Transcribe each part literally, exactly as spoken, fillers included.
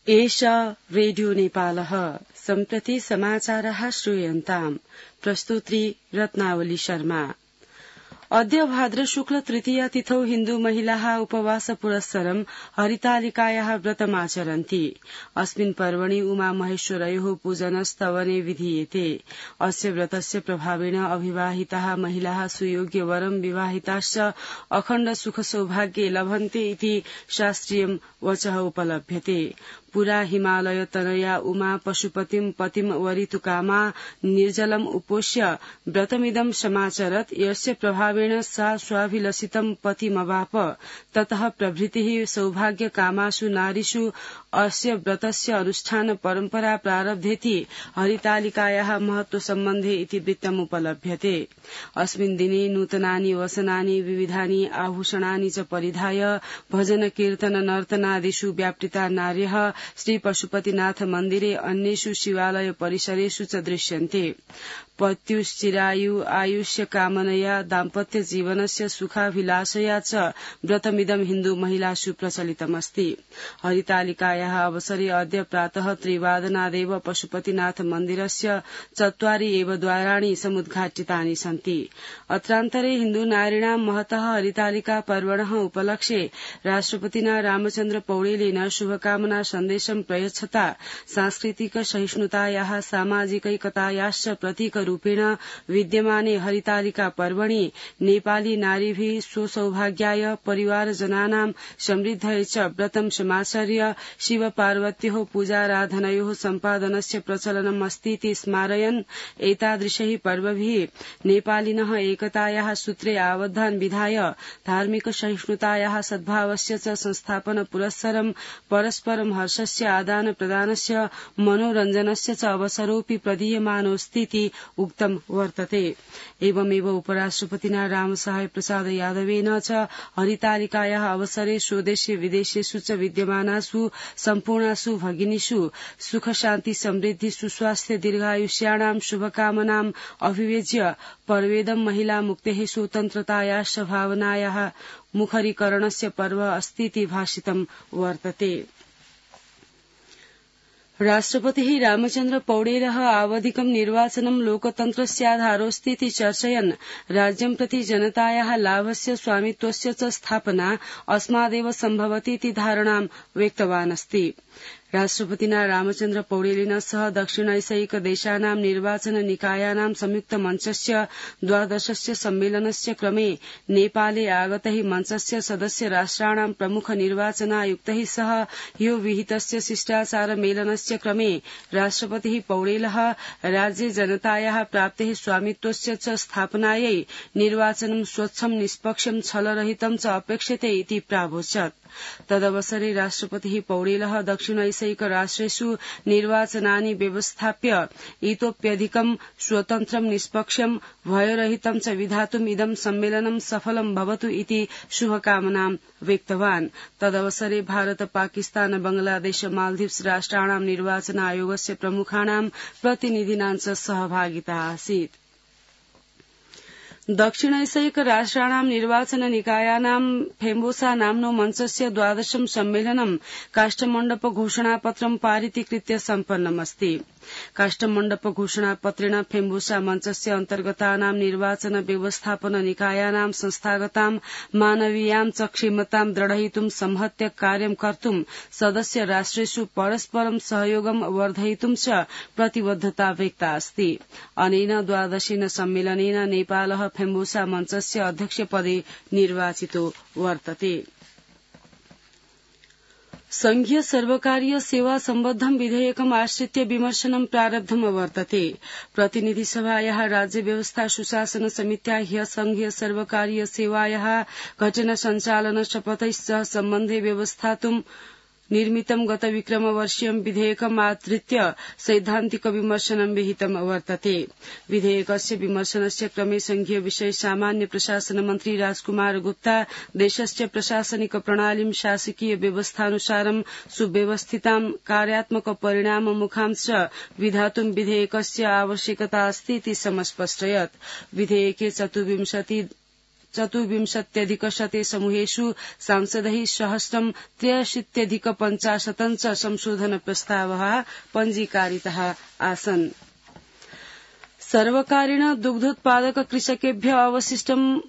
एषा रेडियो नेपालः सम्प्रति समाचारः श्रूयन्ताम् प्रस्तुत्री रत्नावली शर्मा। अद्य भाद्र शुक्ल तृतीया तिथौ हिन्दू महिलाः उपवास पुरस्सरं हरितालिकायाः व्रतमाचरन्ति। अस्मिन् पर्वणि उमा महेश्वरयोः पूजनस्तवने विधीयते। अस्य व्रतस्य प्रभावेण अविवाहिताः महिलाः सुयोग्य वरं विवाहिताश्च अखण्ड सुख सौभाग्ये लभन्ते इति शास्त्रीयं वचः उपलभ्यते। पुरा हिमालय तनया उमा पशुपतिं पतिं वरितुकामा निर्जलम् उपोष्य व्रतमिदं समाचरत्। यस्य प्रभावेण सा स्वाभिलषितं पतिमवाप। ततः प्रभृतिः सौभाग्य कामासु नारीषु अस्य व्रतस्य अनुष्ठान परम्परा प्रारब्धेति हरितालिकायाः महत्व सम्बन्धे इति वृत्तम् उपलभ्यते। अस्मिन् दिने नूतनानि वसनानि विविधानि आभूषणानि च परिधाय भजन कीर्तन नर्तनादिषु व्यापृता नार्यः श्री पशुपतिनाथ मन्दिरे अन्येषु शिवालय परिसरेषु च दृश्यन्ते। पत्युश्चिरायु आयुष्य कामनया दाम्पत्य जीवनस्य सुखाभिलाषया च व्रतमिदं हिन्दू महिलासु प्रचलितमस्ति। हरितालिकायाः अवसरे अद्य प्रातः त्रिवादनादेव पशुपतिनाथ मन्दिरस्य चत्वारि एव द्वाराणि समुद्घाटितानि सन्ति। अत्रान्तरे हिन्दू नारीणां महतः हरितालिका पर्वणः उपलक्ष्ये राष्ट्रपतिना रामचन्द्र पौडेलेन शुभकामना सन्देशं प्रयच्छता सांस्कृतिक सहिष्णुतायाः सामाजिकैकतायाश्च प्रतीक रूपेण विद्यमाने हरितालिका पर्वणि नेपाली नारीभिः स्वसौभाग्याय परिवारजनानां समृद्धये च व्रतं समाचर्य शिव पार्वत्योः पूजाराधनयोः सम्पादनस्य प्रचलनम् अस्तीति स्मारयन् एतादृशैः पर्वभिः नेपालिनः एकतायाः सूत्रे आबद्धान् विधाय धार्मिक सहिष्णुतायाः सद्भावस्य च संस्थापन पुरस्सरं परस्परं हर्षस्य आदान प्रदानस्य मनोरञ्जनस्य च अवसरोऽपि प्रदीयमानोऽस्तीति उक्तं वर्तते। एवमेव उपराष्ट्रपतिना रामसहाय प्रसाद यादवेन च हरितालिकायाः अवसरे स्वदेशे विदेशेषु च विद्यमानासु सम्पूर्णासु भगिनीषु सुख शान्ति समृद्धि सुस्वास्थ्य दीर्घायुष्याणां शुभकामनाम् अभिव्यज्य पर्वेदं महिला मुक्तेः स्वतन्त्रतायाश्च भावनायाः मुखरीकरणस्य पर्व अस्तीति भाषितं वर्तते। राष्ट्रपतिः रामचन्द्र पौडेलः आवधिकं निर्वाचनं लोकतन्त्रस्याधारोऽस्तीति चर्चयन् राज्यं प्रति जनतायाः लाभस्य स्वामित्वस्य च स्थापना अस्मादेव सम्भवतीति धारणां व्यक्तवान् अस्ति। राष्ट्रपतिना रामचन्द्र पौडेलेन सह दक्षिणैशैक देशानां निर्वाचन निकायानां संयुक्त मञ्चस्य द्वादशस्य सम्मेलनस्य क्रमे नेपाले आगतैः मञ्चस्य सदस्य राष्ट्राणां प्रमुख निर्वाचनायुक्तैः सह ह्यो विहितस्य शिष्टाचार मेलनस्य क्रमे राष्ट्रपतिः पौडेलः राज्ये जनतायाः प्राप्तेः स्वामित्वस्य च स्थापनायै निर्वाचनं स्वच्छं निष्पक्षं छलरहितं च अपेक्षते इति प्रावोचत्। तदवसरे राष्ट्रपतिः पौडेलः दक्षिणैशैक राष्ट्रेषु निर्वाचनानि व्यवस्थाप्य इतोप्यधिकं स्वतन्त्रं निष्पक्षं भयरहितं च विधातुम् इदं सम्मेलनं सफलं भवतु इति शुभकामनां व्यक्तवान्। तदवसरे भारत पाकिस्तान बांग्लादेश मालदीव्स राष्ट्राणां निर्वाचन आयोगस्य प्रमुखाणां प्रतिनिधीनां च सहभागिता आसीत्। दक्षिणैशैक राष्ट्राणां निर्वाचन निकायानां फेम्बोसा नाम्नो मञ्चस्य द्वादशं सम्मेलनं काष्ठमण्डप घोषणापत्रं पारितीकृत्य सम्पन्नमस्ति। काष्ठमण्डप घोषणापत्रेण फेम्बोसा मञ्चस्य अन्तर्गतानां निर्वाचन व्यवस्थापन निकायानां संस्थागतां मानवीयां च क्षमतां दृढयितुं संहत्य कार्यं कर्तुं सदस्य राष्ट्रेषु परस्परं सहयोगं वर्धयितुं च प्रतिबद्धता व्यक्ता अस्ति। अनेन द्वादशेन सम्मेलनेन नेपालः फेम्बोसा मञ्चस्य अध्यक्षपदे निर्वाचितो वर्तते। संघीय सर्वकारीय सेवा सम्बद्धं विधेयकम् आश्रित्य विमर्शनं प्रारब्धम् वर्तते। प्रतिनिधि सभायाः राज्य व्यवस्था सुशासन समित्या ह्य संघीय सर्वकारीय सेवायाः घटना सञ्चालन शपथैश्च सम्बन्धे व्यवस्थातुं निर्मितं गत विक्रमवर्षीयं विधेयकम् आधृत्य सैद्धान्तिक विमर्शनं विहितं वर्तते। विधेयकस्य विमर्शनस्य क्रमे संघीय विषय सामान्य प्रशासन मन्त्री राजकुमार गुप्ता देशस्य प्रशासनिक प्रणालीं शासकीय व्यवस्थानुसारं सुव्यवस्थितां कार्यात्मक परिणाममुखां च विधातुं विधेयकस्य आवश्यकता अस्ति इति समस्पष्टयत्। विधेयके चतुर्विंशति चतुर्विंशत्यधिक शते समूहेषु सांसदैः सहस्रं त्र्यशीत्यधिक पञ्चाशतं च संशोधन प्रस्तावाः पञ्जीकारिताः आसन्। सर्वकारेण दुग्धोत्पादक कृषकेभ्यः अवशिष्टं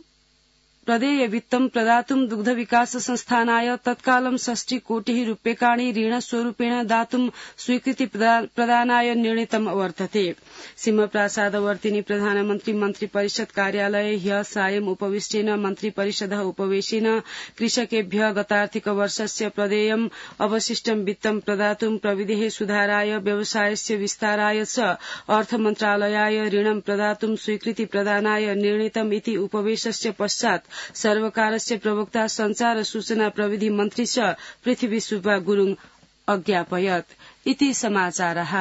प्रदेय वित्तं प्रदातुं दुग्ध विकास संस्थानाय तत्कालं षष्टि कोटिः रूप्यकाणि ऋणस्वरूपेण दातुं स्वीकृति प्रदानाय निर्णीतम् वर्तते। सिंहप्रासादवर्तिनि प्रधानमन्त्री मन्त्रिपरिषद कार्यालये ह्यः सायं उपविष्टेन मन्त्रिपरिषदः उपवेशेन कृषकेभ्यः गतार्थिक वर्षस्य प्रदेयम् अवशिष्टं वित्तं प्रदातुं प्रविधेः सुधाराय व्यवसायस्य विस्ताराय च अर्थमन्त्रालयाय ऋणं प्रदातुं स्वीकृति प्रदानाय निर्णीतम् इति उपवेशस्य पश्चात् सर्वकारस्य प्रवक्ता संचार सूचना प्रविधि मन्त्री च पृथ्वी सुब्बा गुरुङ अज्ञापयत्। इति समाचारः।